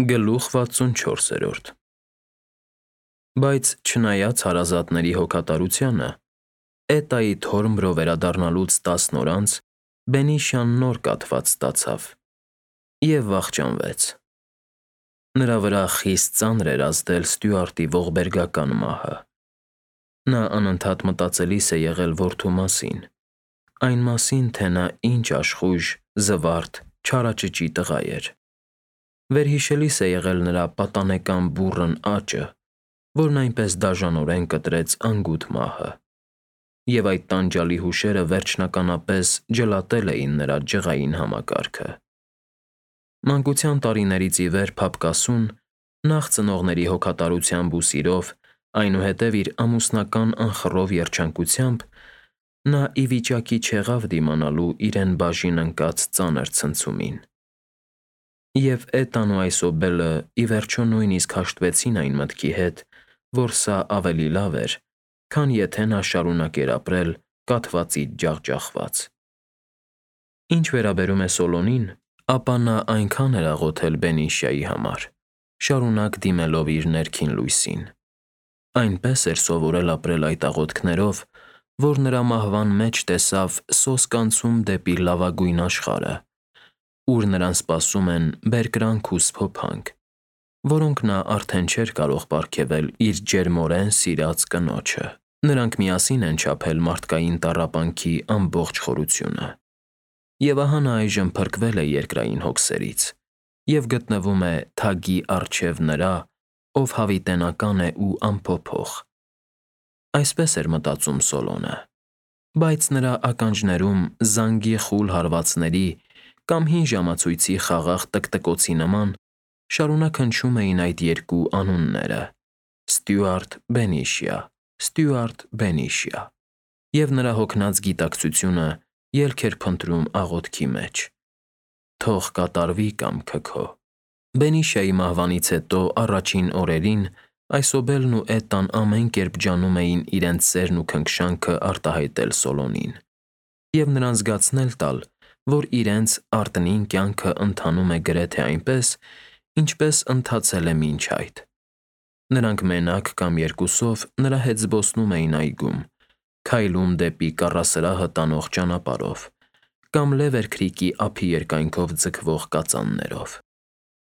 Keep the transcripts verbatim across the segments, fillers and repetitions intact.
Գլուխ վաթսունչորսերորդ Բայց չնայած հարազատների հոգատարությանը, Էտայի թորմրո վերադառնալուց տասն օր անց Բենիշան նոր կաթված ստացավ և վախճանվեց. նրա վրա խիստ ծանր էր ազդել Ստյուարտի ողբերգական մահը։ Նա անընդհատ մտածելիս է եղել որդու մասին, այն մասին, թե նա ինչ աշխույժ, զվարթ, չարաճճի տղա էր։ Վերհիշելիս է եղել նրա պատանեկան բուռն աճը, որն այնպես դաժանորեն կտրեց անգութ մահը, և այդ տանջալի հուշերը վերջնականապես ջլատել էին նրա ջղային համակարգը։ Մանկության տարիներից ի վեր փափկասուն, նախ ծնողների հոգատարությամբ ու սիրով, այնուհետև իր ամուսնական անխռով երջանկությամբ, նա ի վիճակի չեղավ դիմանալու իրեն բաժին ընկած ծանր ցնցումին։ Եվ Էտան ու Այսոբելը ի վերջո նույնիսկ հաշտվեցին այն մտքի հետ, որ սա ավելի լավ էր, քան եթե նա շարունակեր ապրել կաթվածից ջախջախված։ Ինչ վերաբերում է Սոլոնին, ապա նա այնքան էր աղոթել Բենիշայի համար, շարունակ դիմելով իր ներքին լույսին։ Այնպես էր սովորել ապրել այդ աղոթքներով, որ նրա մահվան մեջ տեսավ սոսկանցում դեպի լավագույն աշխարհը, ուր նրան սպասում են բերկրանք ու սփոփանք, որոնք նա արդեն չէր կարող պարգևել իր ջերմորեն սիրած կնոջը։ Նրանք միասին են չափել մարդկային տառապանքի ամբողջ խորությունը։ Եվ ահա նա այժմ փրկվել է երկրային հոգսերից և գտնվում է թագի առջև նրա, ով հավիտենական է ու անփոփոխ։ Այսպես էր մտածում Սոլոնը, բայց նրա ականջներում զանգի խուլ հարվածների կամ հին ժամացույցի խաղաղ տկտկոցի նման շարունակ հնչում էին այդ երկու անունները՝ Ստյուարտ Բենիշիա, Ստյուարտ Բենիշիա, և նրա հոգնած գիտակցությունը ելք էր փնտրում աղոթքի մեջ. թող կատարվի կամքը քո։ Բենիշիայի մահվանից հետո առաջին օրերին Այսոբելն ու Էտան ամեն կերպ ջանում էին իրենց սերն ու քնքշանքը արտահայտել Սոլոնին և նրան զգացնել տալ, որ իրենց արտնին կյանքը ընթանում է գրեթե այնպես, ինչպես ընթացել է մինչ այդ։ Նրանք մենակ կամ երկուսով նրա հետ զբոսնում էին այգում, քայլում դեպի կառասրահը տանող ճանապարհով կամ Լևեր քրիքի ափի երկայնքով ձգվող կածաններով։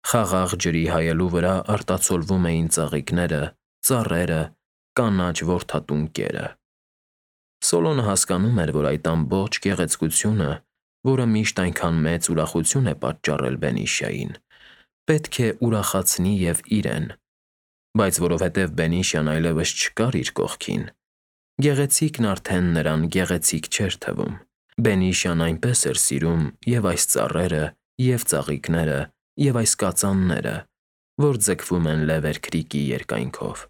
Խաղաղ ջրի հայելու վրա արտացոլվում էին ծաղիկները, ծառերը, կանաչ որդատուն կերը։ Սոլոնը հասկանում էր, որ այդ ամբողջ գեղեցկությունը, որը միշտ այնքան մեծ ուրախություն է պատճառել Բենիշիային, պետք է ուրախացնի և իրեն, բայց որովհետև Բենիշիան այլևս չկար իր կողքին, գեղեցիկն արդեն նրան գեղեցիկ չէր թվում։ Բենիշիան այնպես էր սիրում և այս ծառերը, և ծաղիկները, և այս կածանները, որ ձգվում են Լևեր քրիքի երկայնքով։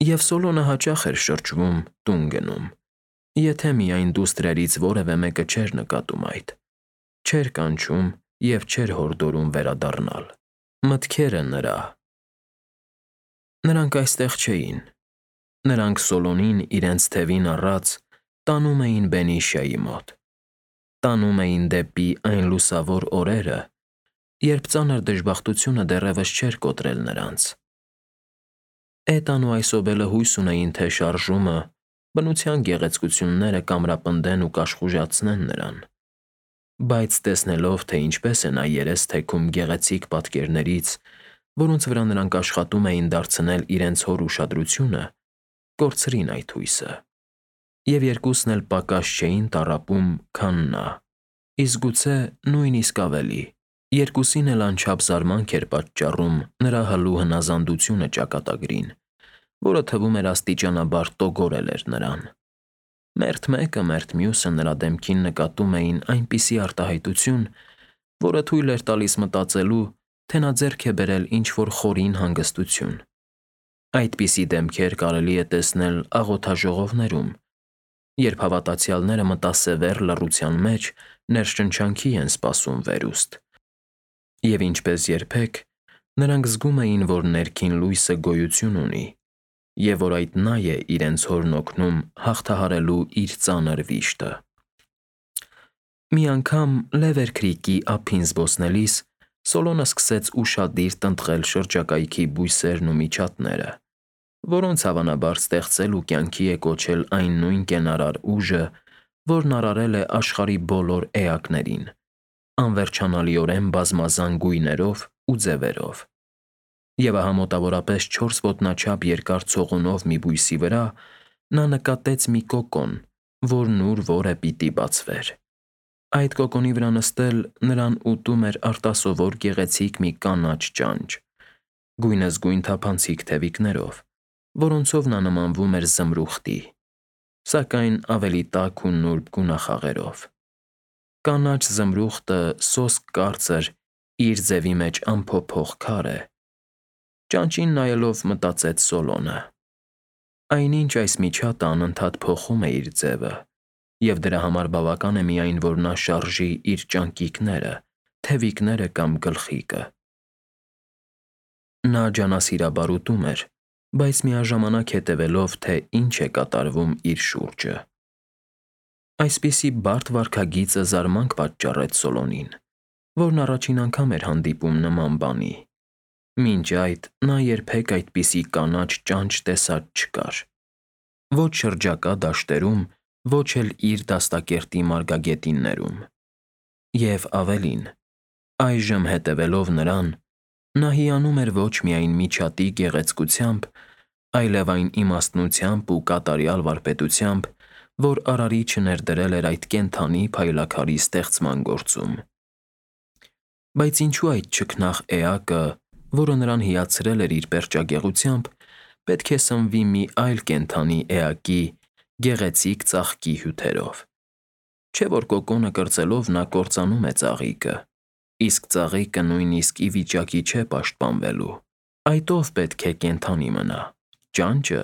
Եվ Սոլոնը հաճախ էր շրջվում, տուն գնում, եթե միայն դուստրերից որևէ մեկը չէր նկատում այդ, չէր կանչում և չէր հորդորում վերադառնալ։ Մտքերը նրա… Նրանք այստեղ չէին։ Նրանք Սոլոնին իրենց թևին առած տանում էին Բենիշիայի մոտ։ Տանում էին դեպի այն լուսավոր օրերը, երբ ծանր դժբախտությունը դեռևս չէր կոտրել նրանց։ Էտան ու Այսոբելը հույս ունեին, թե շարժումը, բնության գեղեցկությունները կամրապնդեն ու կաշխուժացնեն նրան։ Բայց տեսնելով, թե ինչպես է նա երես թեքում գեղեցիկ պատկերներից, որոնց վրա նրանք աշխատում էին դարձնել իրենց հոր ուշադրությունը, կորցրին այդ հույսը։ Եվ երկուսն էլ պակաս չէին տառապում, քան նա, իսկ գուցե նույնիսկ ավելի։ Երկուսին էլ անչափ զարմանք էր պատճառում նրա հլու հնազանդությունը ճակատագրին, որը թվում էր աստիճանաբար տոգորել էր նրան։ Մերթ մեկը, մերթ մյուսը նրա դեմքին նկատում էին այնպիսի արտահայտություն, որը թույլ էր տալիս մտածելու, թե նա ձեռք է բերել ինչ-որ խորին հանգստություն։ Այդպիսի դեմքեր կարելի է տեսնել աղոթաժողովներում, երբ հավատացյալները մտասևեռ լռության մեջ ներշնչանքի են սպասում վերուստ։ Եվ ինչպես երբեք, նրանք զգում էին, որ ներքին լույսը գոյություն ունի, և որ այդ նա է իրենց հորն օգնում հաղթահարելու իր ծանր վիշտը։ Մի անգամ Լևեր քրիքի ափին զբոսնելիս Սոլոնը սկսեց ուշադիր տնտղել շրջակայքի բույսերն ու միջատները, որոնց հավանաբար ստեղծել ու կյանքի է կոչել այն նույն կենարար ուժը, որն արարել է աշխարհի բոլոր էակներին, անվերջանալիորեն բազմազան գույներով ու ձևերով։ Եվ ահա մոտավորապես չորս ոտնաչափ երկար ցողունով մի բույսի վրա նա նկատեց մի կոկոն, որն ուր որը պիտի բացվեր։ Այդ կոկոնի վրա նստել նրան ուտում էր արտասովոր գեղեցիկ մի կանաչ ճանճ, գույնզգույն թափանցիկ թևիկներով, որոնցով նա նմանվում էր զմրուխտի, սակայն ավելի տաք ու նուրբ գունախաղերով։ Կանաչ զմրուխտը սոսկ կարծր իր ձևի մեջ անփոփոխ քար է։ Ճանճին նայելով մտածեց Սոլոնը. այնինչ այս միջատը անընդհատ փոխում է իր ձևը, և դրա համար բավական է միայն, որ նա շարժի իր ճանկիկները, թևիկները կամ գլխիկը։ Նա ջանասիրաբար ուտում էր, բայց միաժամանակ հետևելով, թե ինչ է կատարվում իր շուրջը։ Այսպիսի բարդ վարքագիծը զարմանք պատճառեց Սոլոնին, որն առաջին անգամ էր հանդիպում նման բանի։ Մինչ այդ նա երբեք այդպիսի կանաչ ճանճ տեսած չկար։ Ոչ շրջակա դաշտերում, ոչ էլ իր դաստակերտի մարգագետիններում։ Եվ ավելին, այժմ հետևելով նրան, նա հիանում էր ոչ միայն միջատի գեղեցկությամբ, այլև այն իմաստնությամբ ու կատարյալ վարպետությամբ, որ Արարիչը ներդրել էր այդ կենդանի փայլաքարի ստեղծման գործում։ Բայց ինչու այդ չքնաղ էակը, որը նրան հիացրել էր իր պերճագեղությամբ, պետք է սնվի մի այլ կենդանի էակի գեղեցիկ ծաղկի հյութերով։ Չէ՞ որ կոկոնը կրծելով նա կործանում է ծաղիկը, իսկ ծաղիկը նույնիսկ ի վիճակի չէ պաշտպանվելու։ Այդ ով պետք է կենդանի մնա՝ ճանճը,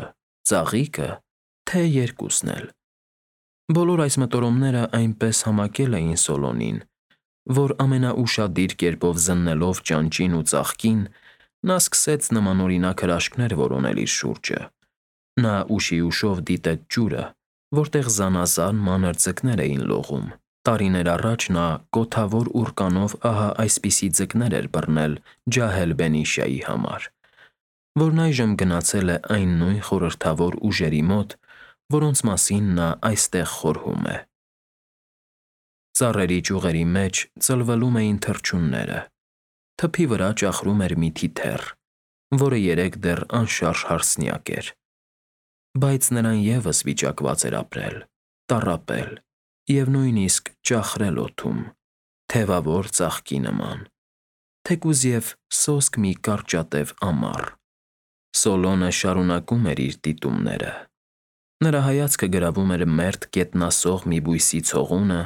ծաղիկը, թե երկուսն էլ։ Բոլոր այս մտորումները այնպես համակել էին Սոլոնին, որ ամենաուշադիր կերպով զննելով ճանճին ու ծաղկին, նա սկսեց նմանօրինակ հրաշքներ որոնել իր շուրջը։ Նա ուշի ուշով դիտեց ջուրը, որտեղ զանազան մանր ձկներ էին լողում։ Տարիներ առաջ նա կոթավոր ուռկանով ահա այսպիսի ձկներ էր բռնել ջահել Բենիշայի համար, որն այժմ գնացել է այն նույն խորհրդավոր ուժերի մոտ, որոնց մասին նա այստեղ խորհում է։ Ծառերի ճյուղերի մեջ ծլվելում էին թռչունները։ Թփի վրա ճախրում էր մի թիթեռ, որը երեկ դեռ անշարժ հարսնյակ էր։ Բայց նրան ևս վիճակված էր ապրել, տառապել և նույնիսկ ճախրել օդում, թևավոր ծաղկի նման, թեկուզ և սոսկ մի կարճատև ամառ։ Սոլոնը շարունակում էր իր դիտումները։ Նրա հայացքը գրավում էր մերթ գետնասող մի բույսի ցողունը,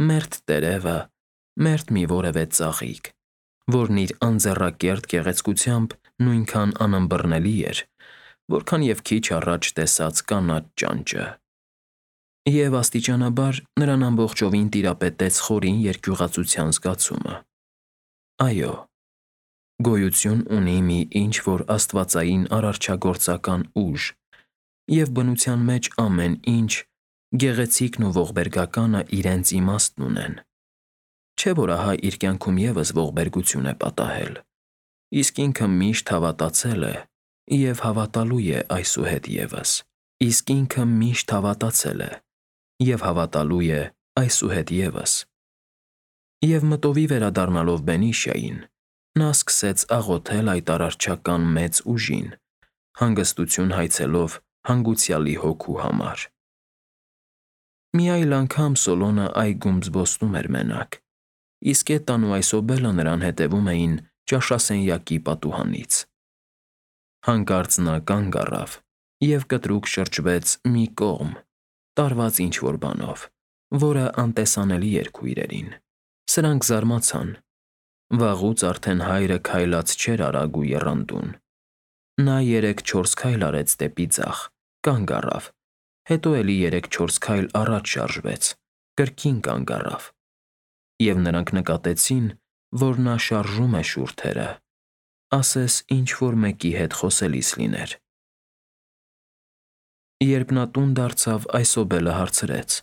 մերթ տերևը, մերթ մի որևէ ծաղիկ, որն իր անձեռակերտ գեղեցկությամբ նույնքան անըմբռնելի էր, որքան և քիչ առաջ տեսած կանաչ ճանճը։ Եվ աստիճանաբար նրան ամբողջովին տիրապետեց խորին երկյուղածության զգացումը։ Այո, գոյություն ունի մի ինչ-որ աստվածային արարչագործական ուժ, և բնության մեջ ամեն ինչ, գեղեցիկն ու ողբերգականը իրենց իմաստն ունեն։ Չէ՞ որ ահա իր կյանքում ևս ողբերգություն է պատահել, իսկ ինքը միշտ հավատացել է և հավատալու է այսուհետ ևս, իսկ ինքը միշտ հավատացել է և հավատալու է այսուհետ ևս։ Եվ մտովի վերադառնալով Բենիշային, նա սկսեց աղոթել այդ արարչական մեծ ուժին, հանգստություն հայցելով հանգուցյալի հոգու համար։ Մի այլ անգամ Սոլոնը այգում զբոսնում էր մենակ, իսկ Էտան ու Այսոբելը նրան հետևում էին ճաշասենյակի պատուհանից։ Հանկարծ նա կանգ առավ և կտրուկ շրջվեց մի կողմ, տարված ինչ-որ բանով, որը անտեսանելի էր քույրերին։ Սրանք զարմացան։ Վաղուց արդեն հայրը քայլած չէր արագ ու եռանդուն։ Նա երեք-չորս քայլ արեց դեպի ձախ, կանգ առավ, հետո էլի երեք-չորս քայլ առաջ շարժվեց, կրկին կանգ առավ։ Եվ նրանք նկատեցին, որ նա շարժում է շուրթերը, ասես ինչ-որ մեկի հետ խոսելիս լիներ։ Երբ նա տուն դարձավ, Այսոբելը հարցրեց.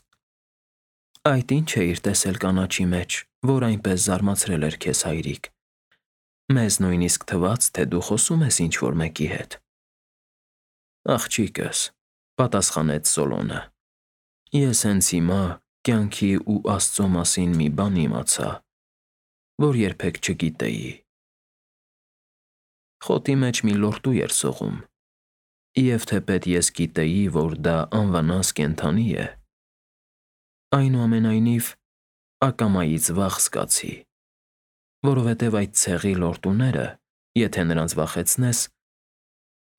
«Այդ ի՞նչ էիր տեսել կանաչի մեջ, որ այնպես զարմացրել էր քեզ, հայրիկ։ Մեզ նույնիսկ թվաց, թե դու խոսում ես ինչ-որ մեկի հետ։ Աղջիկս, պատասխանեց Սոլոնը, ես հենց հիմա կյանքի ու Աստծո մասին մի բան իմացա, որ երբեք չգիտեի։ Խոտի մեջ մի լորտու էր սողում, և թեպետ ես գիտեի, որ դա անվնաս կենդանի է, այնուամենայնիվ ակամայից վախ զգացի, որովհետև այդ ցեղի լորտուները, եթե նրանց վախեցնես,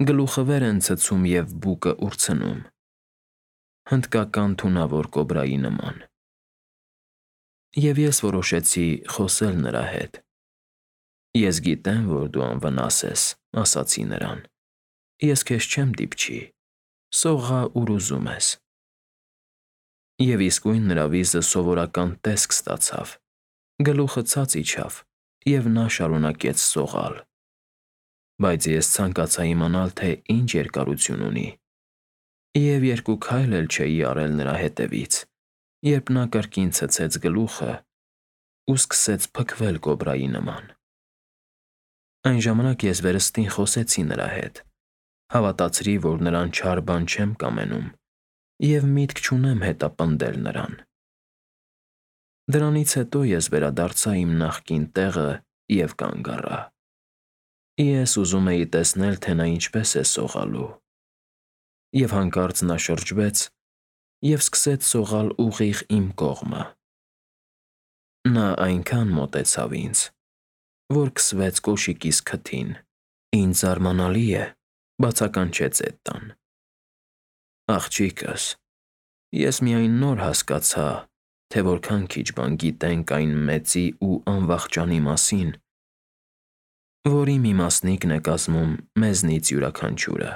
գլուխը վեր են ցցում և բուկը ուրցնում, հնդկական թունավոր կոբրայի նման։ Եվ ես որոշեցի խոսել նրա հետ։ Ես գիտեմ, որ դու անվնաս ես, ասացի նրան, ես քեզ չեմ դիպչի, սողա ուր ուզում ես։ Եվ իսկույն նրա վիզը սովորական տեսք ստացավ, գլուխը ցած իջավ, և նա շարունակեց սողալ։ Բայց ես ցանկացա իմանալ, թե ինչ երկարություն ունի, և երկու քայլ էլ չէի արել նրա հետևից, երբ նա կրկին ցցեց գլուխը ու սկսեց փքվել կոբրայի նման։ Այն ժամանակ ես վերստին խոսեցի նրա հետ, հավատացրի, որ նրան չար բան չեմ կամենում, և միտք չունեմ հետապնդել նրան։ Դրանից հետո ես վերադարձա իմ նախկին տեղը և կանգ առա։ Ես ուզում էի տեսնել, թե նա ինչպես է սողալու։ Եվ հանկարծ նա շրջվեց և սկսեց սողալ ուղիղ իմ կողմը։ Նա այնքան մոտեցավ ինձ, որ քսվեց կոշիկիս քթին։ Ինձ զարմանալի է, բացականչեց Էդդան։ Աղջիկս, ես միայն նոր հասկացա, թե որքան քիչ բան գիտենք այն մեծի ու անվախճանի մասին, որի մի մասնիկն է կազմում մեզնից յուրաքանչյուրը։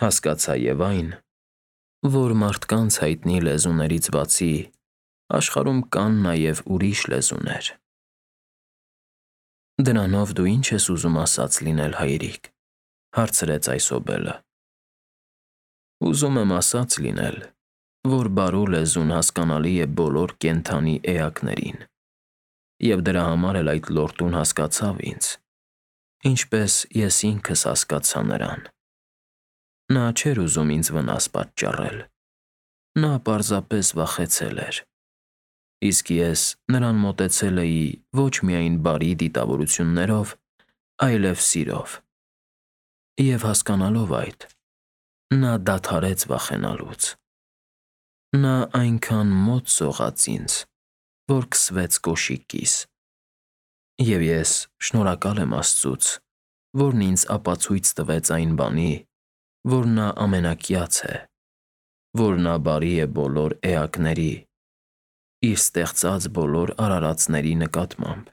Հասկացա և այն, որ մարդկանց հայտնի լեզուներից բացի աշխարհում կան նաև ուրիշ լեզուներ։ Դրանով դու ի՞նչ ես ուզում ասած լինել, հայրիկ, հարցրեց Այսոբելը։ Ուզում եմ ասած լինել, որ բարու լեզուն հասկանալի է բոլոր կենդանի էակներին, և դրա համար էլ այդ լորտուն հասկացավ ինձ, ինչպես ես ինքս հասկացա նրան։ Նա չէր ուզում ինձ վնաս պատճառել, նա պարզապես վախեցել էր, իսկ ես նրան մոտեցել էի ոչ միայն բարի դիտավորություններով, այլև սիրով։ Եվ հասկանալով այդ, նա դադարեց վախենալուց։ Նա այնքան մոտ սողաց ինձ, որ քսվեց կոշիկիս։ Եվ ես շնորհակալ եմ Աստծուց, որն ինձ ապացույց տվեց այն բանի, որ նա ամենակյաց է, որ նա բարի է բոլոր էակների, իր ստեղծած բոլոր արարածների նկատմամբ։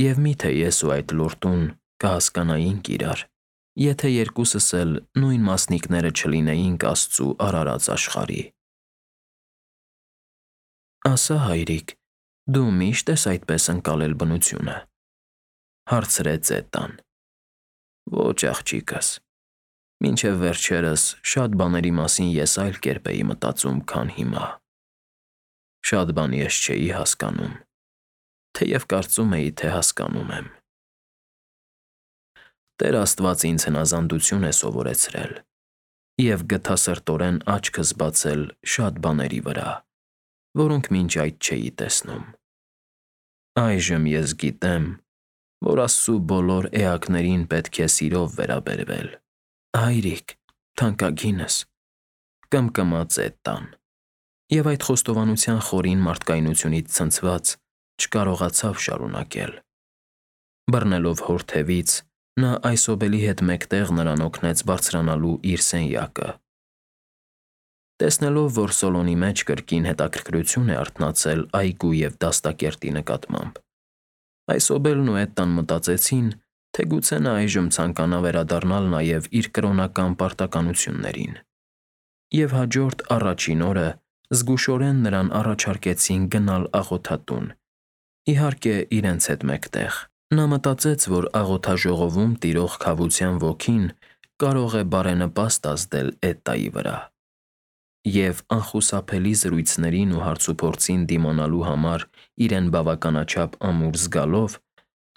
Եվ միթե ես ու այդ լորտուն կհասկանայինք իրար, եթե երկուսս էլ նույն մասնիկները չլինեինք Աստծու արարած աշխարհի։ Ասա, հայրիկ, դու միշտ ես այդպես ընկալել բնությունը, հարցրեց Էդդան։ Ոչ, աղջիկս, մինչև վերջերս շատ բաների մասին ես այլ կերպ էի մտածում, քան հիմա։ Շատ բան ես չէի հասկանում, թեև կարծում էի, թե հասկանում եմ։ Տեր Աստված ինձ հնազանդություն է սովորեցրել և գթասրտորեն աչքս բացել շատ բաների վրա, որոնք մինչ այդ չէի տեսնում։ Այժմ ես գիտեմ, որ Աստծու բոլոր էակներին պետք է սիրով վերաբերվել։ Հայրիկ, թանկագինս, կմկմաց Էդդան, և այդ խոստովանության խորին մարդկայնությունից ցնցված չկարողացավ շարունակել։ Բռնելով հոր թևից, նա Այսոբելի հետ մեկտեղ նրան օգնեց բարձրանալու իր սենյակը։ Տեսնելով, որ Սոլոնի մեջ կրկին հետաքրքրություն է արթնացել այգու և դաստակերտի նկատմամբ, Այսոբելն ու Էդդան մտածեցին, թե գուցե նա այժմ ցանկանա վերադառնալ նաև իր կրոնական պարտականություններին, և հաջորդ առաջին օրը զգուշորեն նրան առաջարկեցին գնալ աղոթատուն, իհարկե, իրենց հետ մեկտեղ։ Նա մտածեց, որ աղոթաժողովում տիրող քավության ոգին կարող է բարենպաստ ազդել Էդդայի վրա, և անխուսափելի զրույցներին ու հարցուփորձին դիմանալու համար իրեն բավականաչափ ամուր զգալով,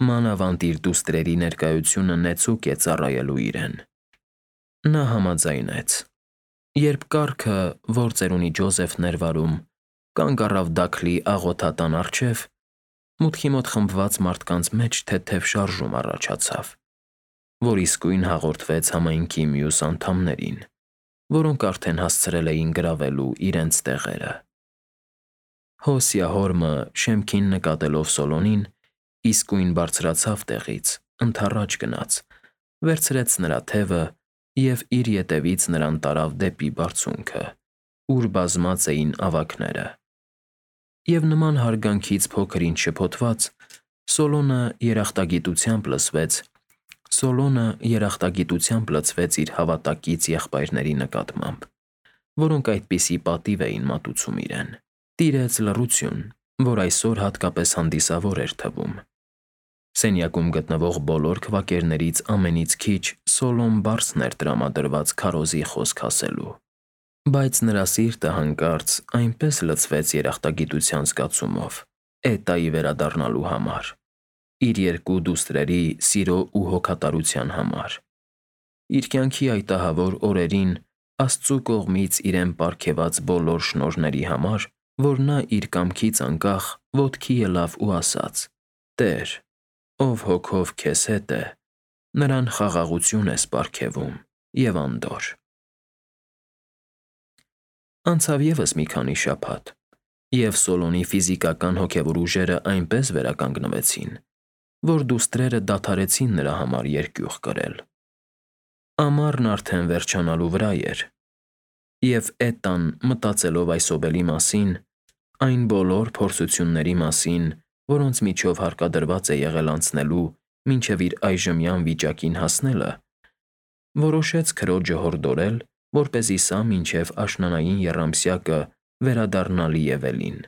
Մանավանդ իր դուստրերի ներկայությունը նեցուկ է ծառայելու իրեն։ Նա համաձայնեց։ Երբ կառքը, որ ծերունի Ջոզեֆն էր վարում, կանգ առավ Դաքլի աղոթատան առջև, մուտքի մոտ խմբված մարդկանց մեջ թեթև շարժում առաջացավ, որ իսկույն հաղորդվեց համայնքի մյուս անդամներին, որոնք արդեն հասցրել էին գրավելու իրենց տեղերը։ Հոսյա հորմը, շեմքին նկատելով Սոլոնին, իսկույն բարձրացավ տեղից, ընդառաջ գնաց, վերցրեց նրա թևը և իր ետևից նրան տարավ դեպի բարձունքը, ուր բազմած էին ավագները։ Եվ նման հարգանքից փոքր-ինչ շփոթված, Սոլոնը երախտագիտությամբ լցվեց Սոլոնը երախտագիտությամբ լցվեց իր հավատակից եղբայրների նկատմամբ, որոնք այդպիսի պատիվ էին մատուցում իրեն։ Տիրեց լռություն, որ այսօր հատկապես հանդիսավոր էր թվում։ Սենյակում գտնվող բոլոր քվակերներից ամենից քիչ Սոլոն Բարսն էր տրամադրված քարոզի խոսք ասելու։ Բայց նրա սիրտը հանկարծ այնպես լցվեց երախտագիտության զգացումով Էտայի վերադառնալու համար, իր երկու դուստրերի սիրո ու հոգատարության համար, իր կյանքի այդ ահավոր օրերին Աստծու կողմից իրեն պարգևած բոլոր շնորհների համար, որ նա իր կամքից անկախ ոտքի ելավ ու ասաց. «Տեր, ով հոգով քեզ հետ է, նրան խաղաղություն ես պարգևում և անդորր»։ Անցավ ևս մի քանի շաբաթ, և Սոլոնի ֆիզիկական հոգևոր ուժերը այնպես վերականգնվեցին, որ դուստրերը դադարեցին նրա համար երկյուղ կրել։ Ամառն արդեն վերջանալու վրա էր, և Էտան, մտածելով այսօբելի մասին, այն բոլոր փորձությունների մասին, որոնց միջով հարկադրված է եղել անցնելու մինչև իր այժմյան վիճակին հասնելը, որոշեց քրոջը հորդորել, որպեսզի սա մինչև աշնանային եռամսյակը վերադառնա Լիևելին։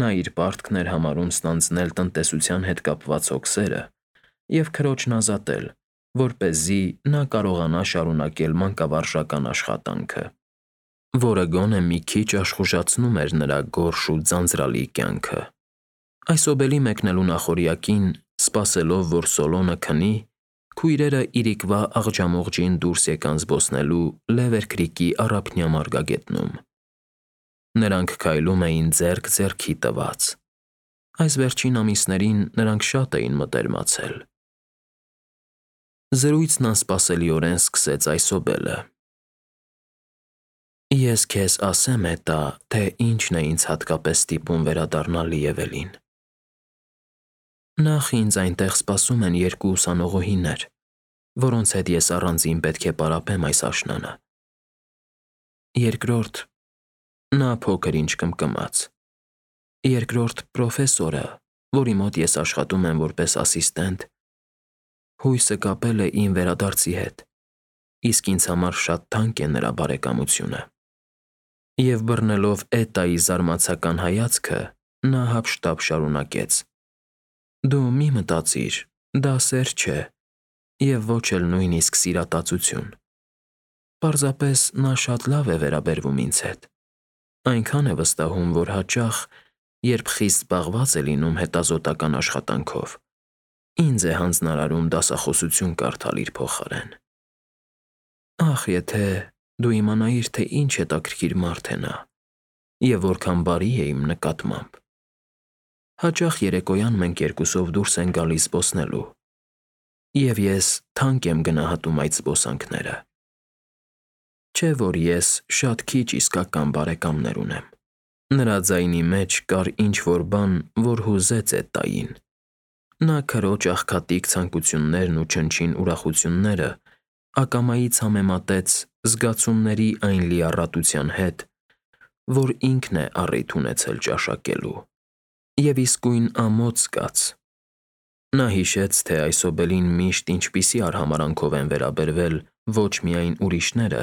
Նա իր պարտքն էր համարում ստանձնել տնտեսության հետ կապված հոգսերը և քրոջն ազատել, որպեսզի նա կարողանա շարունակել մանկավարժական աշխատանքը, որը գոնե մի քիչ աշխուժացնում էր նրա գորշ ու ձանձրալի կյանքը։ Այսօբելի մեկնելու նախօրյակին, սպասելով, որ Սոլոնը քնի, քույրերը իրիկվա աղջամուղջին դուրս եկան զբոսնելու Լևեր քրիքի առափնյա մարգագետնում։ Նրանք քայլում էին ձեռք ձեռքի տված։ Այս վերջին ամիսներին նրանք շատ էին մտերմացել։ Զրույցն անսպասելիորեն սկսեց այսօբելը. «Ես քեզ ասեմ, Էտա, թե ինչն է ինձ հատկապես ստիպում վերադառնալ Լիևելին։ Նախ ինձ այնտեղ սպասում են երկու ուսանողուհիներ, որոնց հետ ես առանձին պետք է պարապեմ այս աշնանը։ Երկրորդ, նա փոքր-ինչ կմկմաց, երկրորդ պրոֆեսորը, որի մոտ ես աշխատում եմ որպես ասիստենտ, հույսը կապել է իմ վերադարձի հետ, իսկ ինձ համար շատ թանկ է նրա բարեկամությունը»։ Եվ բռնելով Էտայի զարմացական հայացքը, նա հափշտապ շարունակեց. «Դու մի մտածիր, դա սեր չէ և ոչ էլ նույնիսկ սիրատացություն։ Պարզապես նա շատ լավ է վերաբերվում ինձ հետ, այնքան է վստահում, որ հաճախ, երբ խիստ զբաղված է լինում հետազոտական աշխատանքով, ինձ է հանձնարարում դասախոսություն կարդալ իր փոխարեն։ Ախ, եթե դու իմանայիր, թե ինչ հետաքրքիր մարդ է նա և որքան բարի է իմ նկատմամբ։ Հաճախ երեկոյան մենք երկուսով դուրս ենք գալիս զբոսնելու, և ես թանկ եմ գնահատում այդ զբոսանքները։ Չէ՞ որ ես շատ քիչ իսկական բարեկամներ ունեմ»։ Նրա ձայնի մեջ կար ինչ-որ բան, որ հուզեց Էտային։ Նա քրոջ աղքատիկ ցանկություններն ու չնչին ուրախությունները ակամայից համեմատեց զգացումների այն լիառատության հետ, որ ինքն է առիթ ունեցել ճաշակելու, և իսկույն ամոթ զգաց։ Նա հիշեց, թե այսօբելին միշտ ինչպիսի արհամարհանքով են վերաբերվել ոչ միայն ուրիշները,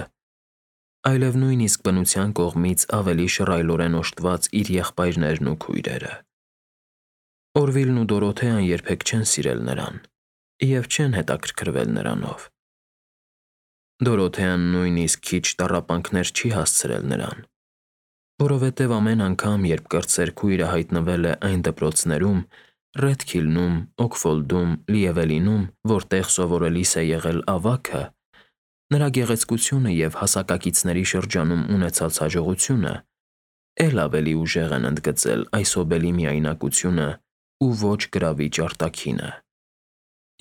այլև նույնիսկ բնության կողմից ավելի շռայլորեն օժտված իր եղբայրներն ու քույրերը։ Օրվիլն ու Դորոթեան երբեք չեն սիրել նրան և չեն հետաքրքրվել նրանով։ Դորոթեան նույնիսկ քիչ տառապանքներ չի հասցրել նրան, որովհետև ամեն անգամ, երբ կրտսեր քույրը հայտնվել է այն դպրոցներում, Ռեդքիլնում, Օքֆոլդում, Լիևելինում, որտեղ սովորելիս է եղել ավագը, նրա գեղեցկությունը և հասակակիցների շրջանում ունեցած հաջողությունը էլ ավելի ուժեղ են ընդգծել Այսոբելի միայնակությունը ու ոչ գրավիչ արտաքինը,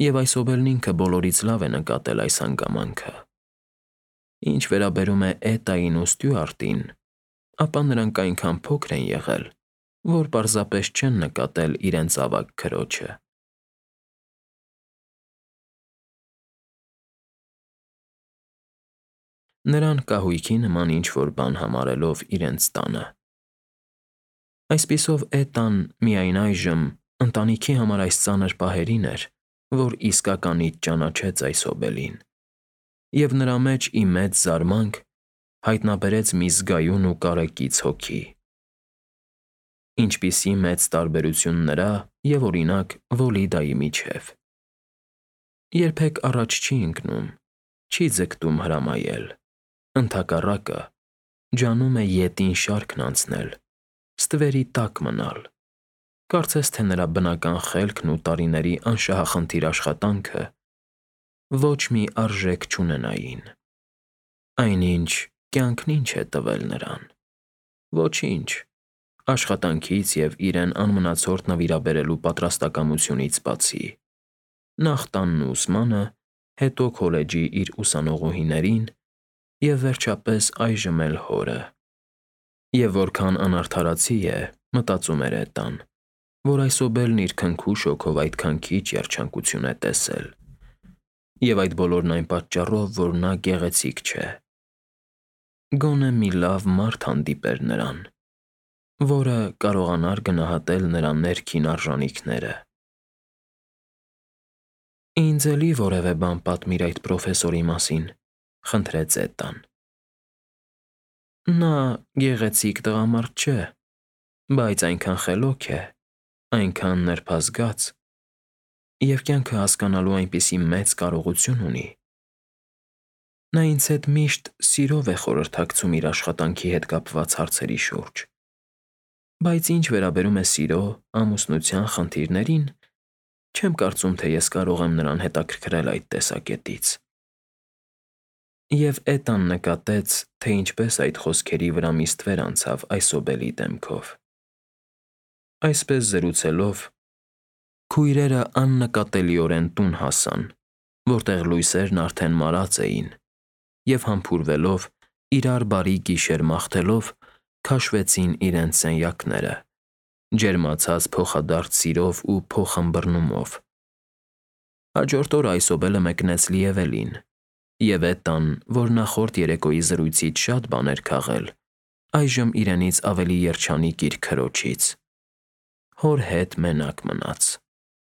և Այսոբելն ինքը բոլորից լավ է նկատել այս հանգամանքը։ Ինչ վերաբերում է Էտային ու Ստյուարտին, ապա նրանք այնքան փոքր են եղել, որ պարզապես չեն նկատել իրենց ավագ քրոջը։ Նրան կահույքի նման ինչ-որ բան համարելով իրենց տանը։ Այսպիսով Էտան միայն այժմ ընտանիքի համար այս ծանր պահերին էր, որ իսկականից ճանաչեց Այսոբելին, և նրա մեջ ի մեծ զարմանք հայտնաբերեց մի զգայուն ու կարեկից հոգի։ Ինչպիսի մեծ տարբերություն նրա և, օրինակ, Վոլիդայի միջև։ Երբեք առաջ չի ընկնում, չի ձգտում հրամայել, ընդհակառակը, ջանում է ետին շարքն անցնել, ստվերի տակ մնալ, կարծես թե նրա բնական խելքն ու տարիների անշահախնդիր աշխատանքը ոչ մի արժեք չունենային։ Այնինչ, կյանքն ինչ է տվել նրան։ Ոչինչ, աշխատանքից և իրեն անմնացորդ նվիրաբերելու պատրաստակամությունից բացի, նախ տանն ու ուսմանը, հետո քոլեջի իր ուսանողուհիներին և վերջապես այժմ էլ հորը։ Եվ որքան անարդարացի է, մտածում էր Էտան, որ Այսոբելն իր քնքուշ հոգով այդքան քիչ երջանկություն է տեսել, և այդ բոլորն այն պատճառով, որ նա գեղեցիկ չէ։ Գոնե մի լավ մարդ հանդիպեր նրան, որը կարողանար գնահատել նրա ներքին արժանիքները։ «Ինձ էլի որևէ բան պատմիր այդ պրոֆեսորի մասին», ֊ խնդրեց Էտան։ «Նա գեղեցիկ տղամարդ չէ, բայց այնքան խելոք է, այնքան նրբազգաց և կյանքը հասկանալու այնպիսի մեծ կարողություն ունի։ Նա ինձ հետ միշտ սիրով է խորհրդակցում իր աշխատանքի հետ կապված հարցերի շուրջ, բայց ինչ վերաբերում է սիրո, ամուսնության խնդիրներին, չեմ կարծում, թե ես կարող եմ նրան հետաքրքրել այդ տեսակետից»։ Եվ Էտան նկատեց, թե ինչպես այդ խոսքերի վրա մի ստվեր անցավ Այսոբելի դեմքով։ Այսպես զրուցելով, քույրերը աննկատելիորեն տուն հասան, որտեղ լույսերն արդեն մարած էին, և համբուրվելով, իրար բարի գիշեր մաղթելով, քաշվեցին իրենց սենյակները, ջերմացած փոխադարձ սիրով ու փոխըմբռնումով։ Հաջորդ օրը Այսոբելը մեկնեց Լիևելին, և Էտան, որ նախորդ երեկոյի զրույցից շատ բան էր քաղել, այժմ իրենից ավելի երջանիկ իր քրոջից, հոր հետ մենակ մնաց։